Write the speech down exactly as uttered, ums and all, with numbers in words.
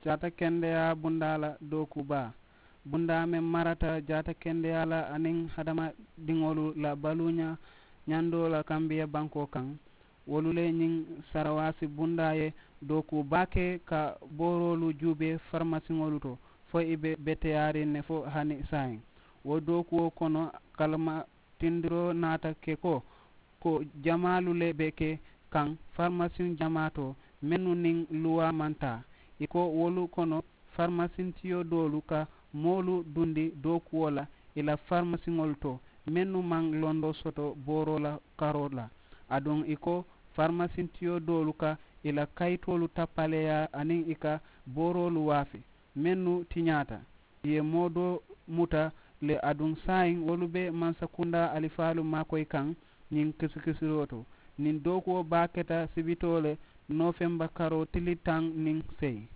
jaata kendeyaa bundaa la dookuu baa. Bundaa meŋ marata jaata kendeyaa la aniŋ hadamadiŋolu la baluuñaa ñandoo la kambiya bankoo kaŋ. Wolu le ñiŋ sarawaasi bundaa ye dookuu baake ka booroolu juubee farimasiŋolu to fo ì be beteyaariŋ ne fo hani saayiŋ. Wo dookuwo kono kalima tindiroo naata ke ko ko jamaalu le be ke kaŋ farimasiŋ jamaa to mennu niŋ luwaa maŋ taa. Ì ko wolu kono farimasiŋ tiyo doolu ka moolu dundi dookuwo la ì la farimasiŋolu to mennu maŋ londoo soto booroo la karoo la. Aduŋ ì ko farimasiŋ tiyo doolu ka ì la kayitoolu tappaleeyaa aniŋ ì ka booroolu waafi mennu tiñaata. Ì ye moo doo muta le aduŋ saayiŋ wolu be mansakundaa alifaalu maakoyi kaŋ ñiŋ kisikisiroo to. Niŋ dookuwo baa keta sibitoo le noofemba karoo tili taŋ niŋ seyi.